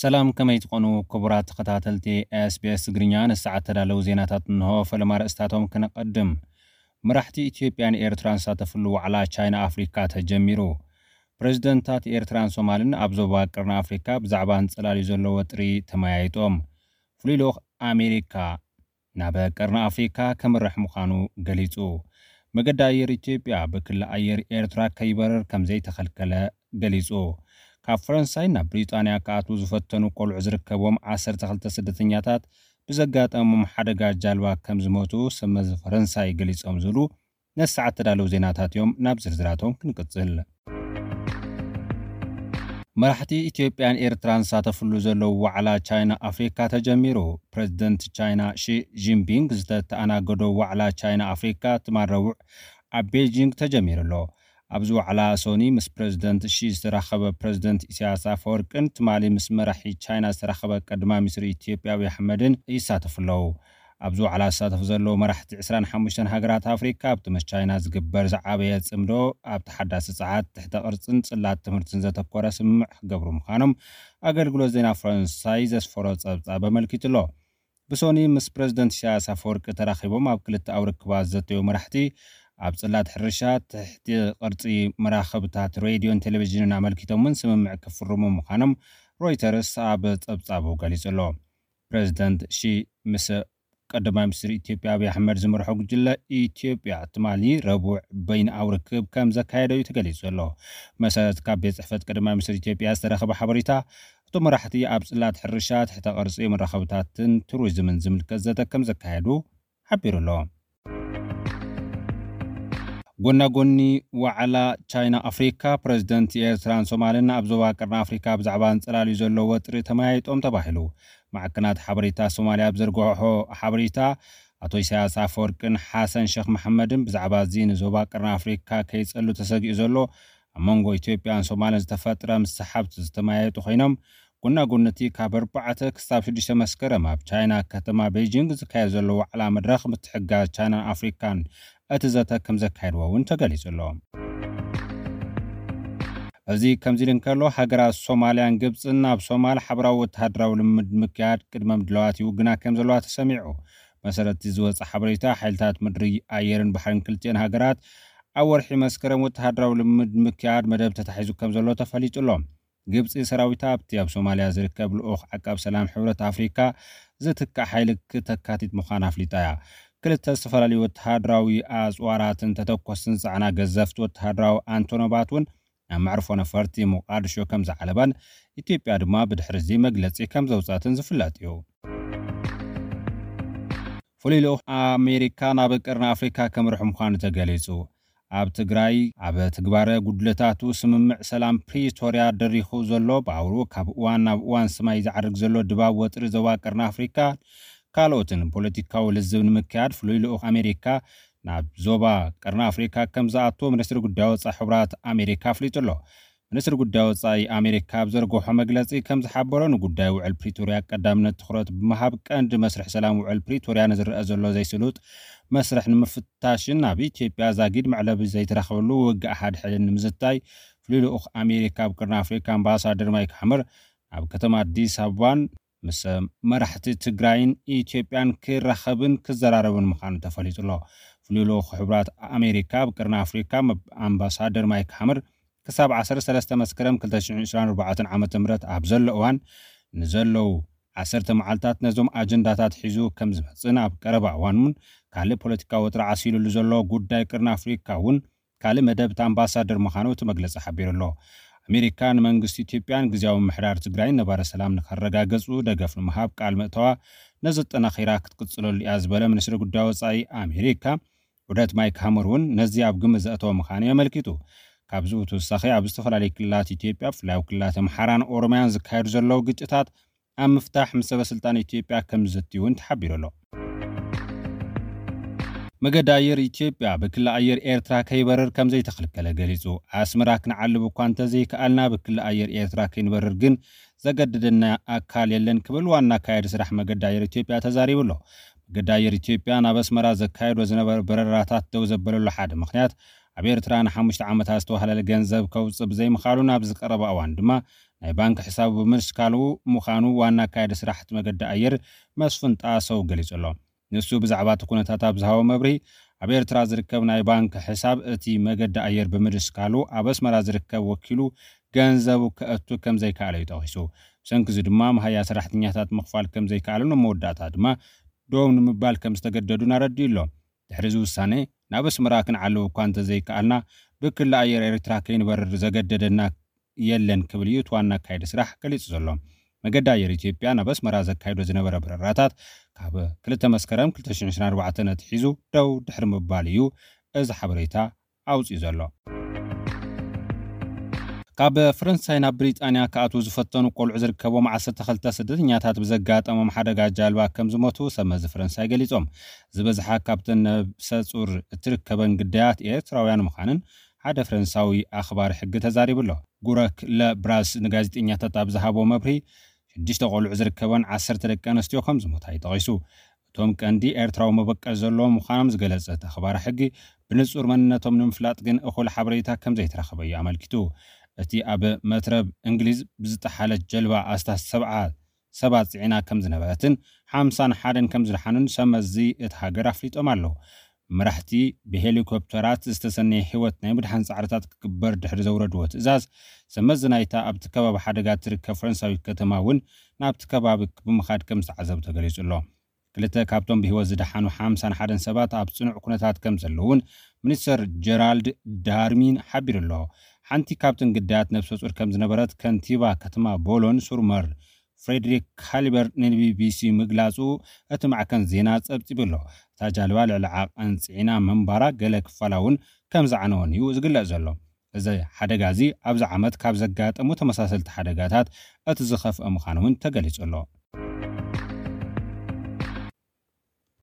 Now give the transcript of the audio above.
ሰላም፣ ከመይ ትኾኑ ክቡራት ተኸታተልቲ ኤስቢኤስ ትግርኛ? ንሰዓት ተዳለዉ ዜናታት እንሆ። ፈለማ ርእስታቶም ክነቐድም። መራሕቲ ኢትዮጵያን ኤርትራን ዝሳተፍሉ ዋዕላ ቻይና ኣፍሪካ ተጀሚሩ። ፕሬዝደንታት ኤርትራን ሶማልን ኣብ ዞባ ቀርኒ ኣፍሪካ ብዛዕባ ኣንጸላልዩ ዘሎ ወጥሪ ተመያይጦም። ፍሉይ ልኡኽ ኣሜሪካ ናብ ቀርኒ ኣፍሪካ ከምርሕ ምዃኑ ገሊጹ። መገዲ ኣየር ኢትዮጵያ ብክሊ ኣየር ኤርትራ ከይበርር ከም ዘይተኸልከለ ገሊጹ። ካብ ፈረንሳይ ናብ ብሪጣንያ ክኣትዉ ዝፈተኑ ቆልዑ ዝርከብዎም ዓሰርተ ክልተ ስደተኛታት ብዘጋጠሞም ሓደጋ ጃልባ ከም ዝሞቱ ሰብ መዚ ፈረንሳይ ገሊጾም ዝብሉ ነቲ ሰዓት ተዳለዉ ዜናታት እዮም። ናብ ዝርዝራቶም ክንቅጽል። መራሕቲ ኢትዮጵያን ኤርትራን ዝሳተፍሉ ዘለዉ ዋዕላ ቻይና ኣፍሪካ ተጀሚሩ። ፕሬዝደንት ቻይና ሺ ጂንፒንግ ዝተተኣናገዶ ዋዕላ ቻይና ኣፍሪካ ትማል ረቡዕ ኣብ ቤጂንግ ተጀሚሩ ኣሎ። ኣብዚ ዋዕላ ሶኒ ምስ ፕሬዝደንት ሺ ዝተራኸበ ፕሬዝደንት ኢሳያስ ኣፈወርቅን ትማሊ ምስ መራሒ ቻይና ዝተራኸበ ቀዳማይ ሚኒስትር ኢትዮጵያ ኣብይ ኣሕመድን ይሳተፉ ኣለዉ። ኣብዚ ዋዕላ ዝሳተፉ ዘለዉ መራሕቲ ዕስራን ሓሙሽተን ሃገራት ኣፍሪካ ኣብቲ ምስ ቻይና ዝግበር ዝዓበየ ጽምዶ ኣብ ተሓዳሲ ጸዓት፣ ትሕተ ቅርጽን ጽላት ትምህርትን ዘተኮረ ስምምዕ ክገብሩ ምዃኖም ኣገልግሎት ዜና ፈረንሳይ ዘስፈሮ ጸብጻብ ኣመልኪቱ ኣሎ። ብሶኒ ምስ ፕሬዝደንት ኢሳያስ ኣፈወርቂ ተራኺቦም ኣብ ክልተኣዊ ርክባት ዝዘተዩ መራሕቲ ኣብ ጽላት ሕርሻ፣ ትሕቲ ቅርጺ መራኸብታት ሬድዮን ቴሌቪዥንን ኣመልኪቶም እውን ስምምዕ ክፍርሙ ምዃኖም ሮይተርስ ኣብ ጸብጻቡ ገሊጹ ኣሎ። ፕሬዝደንት ሺ ምስ ቀዳማይ ሚኒስትር ኢትዮጵያ ኣብይ ኣሕመድ ዝመርሖ ጉጅለ ኢትዮጵያ ትማሊ ረቡዕ በይንኣዊ ርክብ ከም ዘካየደ እዩ ተገሊጹ ዘሎ። መሰረት ካብ ቤት ጽሕፈት ቀዳማይ ሚኒስትር ኢትዮጵያ ዝተረኸበ ሓበሬታ፣ እቶም መራሕቲ ኣብ ጽላት ሕርሻ፣ ትሕተ ቅርጺ፣ መራኸብታትን ቱሪዝምን ዝምልከት ዘተ ከም ዘካየዱ ሓቢሩ ኣሎ። ጎና ጎኒ ዋዕላ ቻይና ኣፍሪካ፣ ፕሬዝደንት ኤርትራን ሶማልን ኣብ ዞባ ቀርኒ ኣፍሪካ ብዛዕባ ኣንጸላልዩ ዘሎ ወጥሪ ተመያይጦም ተባሂሉ። ማዕከናት ሓበሬታ ሶማልያ ኣብ ዘርግሖ ሓበሬታ፣ ኣቶ ኢሳያስ ኣፈወርቅን ሓሰን ሸኽ መሐመድን ብዛዕባ እዚ ንዞባ ቀርኒ ኣፍሪካ ከይጸሉ ተሰጊኡ ዘሎ ኣብ መንጎ ኢትዮጵያን ሶማልን ዝተፈጥረ ምስሓብ ዝተመያየጡ ኮይኖም፣ ጎና ጎኒ እቲ ካብ ኣርባዕተ ክሳብ ሽዱሽተ መስከረም ኣብ ቻይና ከተማ ቤጂንግ ዝካየድ ዘሎ ዋዕላ መድረኽ ምትሕግጋዝ ቻይናን ኣፍሪካን እቲ ዘተ ከም ዘካየድዎ እውን ተገሊጹ ኣሎ። እዚ ከምዚ ኢሉ እንከሎ፣ ሃገራት ሶማልያን ግብጽን ናብ ሶማል ሓበራዊ ወተሃደራዊ ልምምድ ምክያድ ቅድመ ምድላዋት ይውግና ከም ዘለዋ ተሰሚዑ። መሰረት ዝወጸ ሓበሬታ፣ ሓይልታት ምድሪ፣ ኣየርን ባሕርን ክልቲኤን ሃገራት ኣብ ወርሒ መስከረም ወተሃደራዊ ልምምድ ምክያድ መደብ ተታሒዙ ከም ዘሎ ተፈሊጡ ኣሎ። ግብጺ ሰራዊታ ኣብቲ ኣብ ሶማልያ ዝርከብ ልኡኽ ዓቃብ ሰላም ሕብረት ኣፍሪካ ዝትካእ ሓይሊ ክተካቲት ምዃና ኣፍሊጣ እያ። ክልተ ዝተፈላለዩ ወተሃደራዊ ኣጽዋራትን ተተኮስትን ዝጸዓና ገዘፍቲ ወተሃደራዊ ኣንቶኖባት እውን ናብ መዕርፎ ነፈርቲ ሞቃድሾ ከም ዝዓለባን ኢትዮጵያ ድማ ብድሕሪ እዚ መግለጺ ከም ዘውጻትን ዝፍለጥ እዩ። ፍሉይ ልኡኽ ኣሜሪካ ናብ ቀርኒ ኣፍሪካ ከምርሑ ምዃኑ ተገሊጹ። ኣብ ትግራይ ኣብ ትግባረ ጉድለታቱ ስምምዕ ሰላም ፕሪቶርያ ደሪኹ ዘሎ ባቡሩ ካብ እዋን ናብ እዋን ስማይ ዝዓርግ ዘሎ ድባብ ወጥሪ ዞባ ቀርኒ ኣፍሪካ ካልኦትን ፖለቲካዊ ልዝብ ንምክያድ ፍሉይ ልኡኽ ኣሜሪካ ናብ ዞባ ቀርኒ ኣፍሪካ ከም ዝኣቱ ሚኒስትሪ ጉዳይ ወፃኢ ሕቡራት ኣሜሪካ ኣፍሊጡ ኣሎ። ሚኒስትሪ ጉዳይ ወፃኢ ኣሜሪካ ኣብ ዘርገሖ መግለፂ ከም ዝሓበሮ ንጉዳይ ውዕል ፕሪቶርያ ቀዳምነት ትኹረት ብምሃብ ቀንዲ መስርሕ ሰላም ውዕል ፕሪቶርያ ንዝረአ ዘሎ ዘይስሉጥ መስርሕ ንምፍታሽን ኣብ ኢትዮጵያ ዛጊድ መዕለቢ ዘይተረኸበሉ ውግእ ሓድሕድን ንምዝታይ ፍሉይ ልኡኽ ኣሜሪካ ኣብ ቅርኒ ኣፍሪካ ኣምባሳደር ማይክ ሓመር ኣብ ከተማ ኣዲስ ኣበባን ምስ መራሕቲ ትግራይን ኢትዮጵያን ክራኸብን ክዘራረብን ምዃኑ ተፈሊጡ ኣሎ። ፍሉይ ልኡኽ ሕቡራት ኣሜሪካ ኣብ ቅርኒ ኣፍሪካ ኣምባሳደር ማይክ ሓመር ክሳብ ዓሰርተ ሰለስተ መስከረም ክልተ ሽሕን ዕስራን ኣርባዕተን ዓመተ ምህረት ኣብ ዘሎ እዋን ንዘለዉ ዓሰርተ መዓልታት ነዞም ኣጀንዳታት ሒዙ ከም ዝመጽእን ኣብ ቀረባ እዋን እውን ካልእ ፖለቲካዊ ወጥሪ ዓሲሉሉ ዘሎ ጉዳይ ቅርኒ ኣፍሪካ እውን ካልእ መደብ እቲ ኣምባሳደር ምዃኑ እቲ መግለጺ ሓቢሩ ኣሎ። ኣሜሪካ ንመንግስቲ ኢትዮጵያን ግዝያዊ ምምሕዳር ትግራይን ነባሪ ሰላም ንኸረጋገጹ ደገፍ ንምሃብ ቃል ምእተዋ ነዚ ኣጠናኺራ ክትቅጽለሉ እያ ዝበለ ሚኒስትሪ ጉዳይ ወጻኢ ኣሜሪካ፣ ዑደት ማይክ ሃመር እውን ነዚ ኣብ ግምት ዘእተወ ምዃኑ እዩ ኣመልኪቱ። ካብዚ ብተወሳኺ ኣብ ዝተፈላለዩ ክልላት ኢትዮጵያ ብፍላይ ኣብ ክልላት ኣምሓራን ኦሮምያን ዝካየዱ ዘለዉ ግጭታት ኣብ ምፍታሕ ምስ ሰበ ስልጣን ኢትዮጵያ ከም ዝዘቲ እውን ተሓቢሩ ኣሎ። መገዲ ኣየር ኢትዮጵያ ብክሊ ኣየር ኤርትራ ከይበርር ከም ዘይተኸልከለ ገሊጹ። ኣስመራ ክንዓልብ እኳ እንተዘይከኣልና ብክሊ ኣየር ኤርትራ ከይንበርር ግን ዘገድደና ኣካል የለን ክብል ዋና ኣካያዲ ስራሕ መገዲ ኣየር ኢትዮጵያ ተዛሪቡ ኣሎ። መገዲ ኣየር ኢትዮጵያ ናብ ኣስመራ ዘካየዶ ዝነበረ በረራታት ደው ዘበለሉ ሓደ ምኽንያት ኣብ ኤርትራ ንሓሙሽተ ዓመታት ዝተዋህለለ ገንዘብ ከውፅእ ብዘይምኻሉ፣ ናብ ዝቀረበ እዋን ድማ ናይ ባንክ ሕሳቡ ብምስካሉ ምዃኑ ዋና ኣካያዲ ስራሕ እቲ መገዲ ኣየር መስፍን ጣሰው ገሊጹ ኣሎ። ንሱ ብዛዕባ እቲ ኩነታት ኣብ ዝሃቦ መብርሂ፣ ኣብ ኤርትራ ዝርከብ ናይ ባንክ ሕሳብ እቲ መገዲ ኣየር ብምድስካሉ፣ ኣብ ኣስመራ ዝርከብ ወኪሉ ገንዘቡ ከእቱ ከም ዘይከኣለ እዩ ጠቒሱ። ብሰንኪ እዚ ድማ መሃያ ሰራሕተኛታት ምኽፋል ከም ዘይከኣሉን ኣብ መወዳእታ ድማ ደው ንምባል ከም ዝተገደዱን ኣረዲኡ ኣሎ። ድሕሪ እዚ ውሳነ፣ ናብ ኣስመራ ክንዓልብ እኳ እንተዘይከኣልና፣ ብክሊ ኣየር ኤርትራ ከይንበርር ዘገደደና የለን ክብል እዩ እቲ ዋና ኣካያዲ ስራሕ ገሊጹ ዘሎ። መገዲ ኣየር ኢትዮጵያ ናብ ኣስመራ ዘካይዶ ዝነበረ በረራታት ካብ ክልተ መስከረም ክልተ ሽሕን ዕስራን ኣርባዕተን ኣትሒዙ ደው ድሕሪ ምባል እዩ እዚ ሓበሬታ ኣውጺኡ ዘሎ። ካብ ፈረንሳይ ናብ ብሪጣንያ ክኣትዉ ዝፈተኑ ቆልዑ ዝርከቦም ዓሰርተ ክልተ ስደተኛታት ብዘጋጠሞም ሓደጋ ጃልባ ከም ዝሞቱ ሰብ መዚ ፈረንሳይ ገሊጾም። ዝበዝሓ ካብተን ነብሰ ጹር እትርከበን ግዳያት ኤርትራውያን ምዃንን ሓደ ፈረንሳዊ ኣኽባሪ ሕጊ ተዛሪቡ ኣሎ። ጉረክ ለብራስ ንጋዜጠኛታት ኣብ ዝሃቦ መብርሂ፣ ሽዱሽተ ቆልዑ ዝርከበን ዓሰርተ ደቂ ኣንስትዮ ከም ዝሞታ እዩ ጠቒሱ። እቶም ቀንዲ ኤርትራዊ መበቀል ዘለዎም ምዃኖም ዝገለጸ እቲ ኣኽባሪ ሕጊ፣ ብንጹር መንነቶም ንምፍላጥ ግን እኹል ሓበሬታ ከም ዘይተረኸበ እዩ ኣመልኪቱ። እቲ ኣብ መትረብ እንግሊዝ ብዝጠሓለት ጀልባ ኣስታት ሰብዓ ሰባት ጽዒና ከም ዝነበረትን ሓምሳን ሓደን ከም ዝደሓኑን ሰብ መዚ እቲ ሃገር ኣፍሊጦም ኣለዉ። መራሕቲ ብሄሊኮፕተራት ዝተሰነየ ህይወት ናይ ምድሓን ጻዕርታት ክግበር ድሕሪ ዘውረድዎ ትእዛዝ፣ ሰብ መዚ ናይታ ኣብቲ ከባቢ ሓደጋ ትርከብ ፈረንሳዊት ከተማ እውን ናብቲ ከባቢ ብምኻድ ከም ዝተዓዘቡ ተገሊጹ ኣሎ። ክልተ ካብቶም ብህይወት ዝደሓኑ ሓምሳን ሓደን ሰባት ኣብ ጽኑዕ ኩነታት ከም ዘለዉን ሚኒስተር ጀራልድ ዳርሚን ሓቢሩ ኣሎ። ሓንቲ ካብተን ግዳያት ነብሰ ጡር ከም ዝነበረት ከንቲባ ከተማ ቦሎን ሱርመር ፍሬድሪክ ካሊበር ንቢቢሲ ምግላጹ እቲ ማዕከን ዜና ጸብጺቡ ኣሎ። እታ ጃልባ ልዕሊ ዓቐን ጽዒና ምንባራ፣ ገለ ክፋላ እውን ከም ዝዓነወን እዩ ዝግለጽ ዘሎ። እዚ ሓደጋ እዚ ኣብዚ ዓመት ካብ ዘጋጠሙ ተመሳሰልቲ ሓደጋታት እቲ ዝኸፍአ ምዃኑ እውን ተገሊጹ ኣሎ።